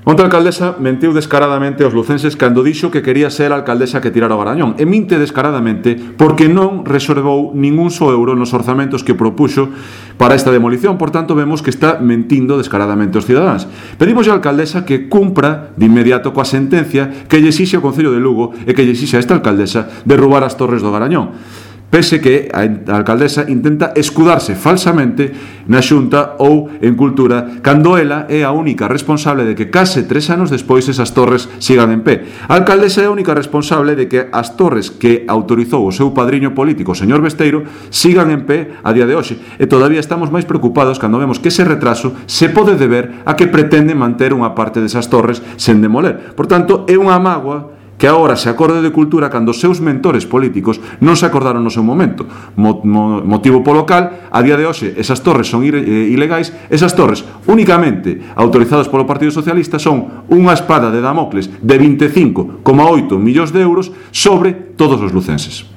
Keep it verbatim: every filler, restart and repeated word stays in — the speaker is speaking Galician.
Onte a alcaldesa mentiu descaradamente aos lucenses cando dixo que quería ser a alcaldesa que tirara o Garañón, e minte descaradamente porque non reservou ningún só euro nos orzamentos que propuxo para esta demolición. Por tanto, vemos que está mentindo descaradamente aos cidadáns. Pedimos á alcaldesa que cumpra de inmediato coa sentencia que lle exixe o Concello de Lugo e que lle exixe a esta alcaldesa derrubar as torres do Garañón, pese que a alcaldesa intenta escudarse falsamente na Xunta ou en Cultura, cando ela é a única responsable de que case tres anos despois esas torres sigan en pé. A alcaldesa é a única responsable de que as torres que autorizou o seu padriño político, o señor Besteiro, sigan en pé a día de hoxe. E todavía estamos máis preocupados cando vemos que ese retraso se pode deber a que pretende manter unha parte desas torres sen demoler. Por tanto, é unha mágoa que agora se acorde de Cultura cando os seus mentores políticos non se acordaron no seu momento, mo, mo, motivo polo cal a día de hoxe esas torres son ir, eh, ilegais. Esas torres únicamente autorizadas polo Partido Socialista son unha espada de Damocles de vinte e cinco coma oito millóns de euros sobre todos os lucenses.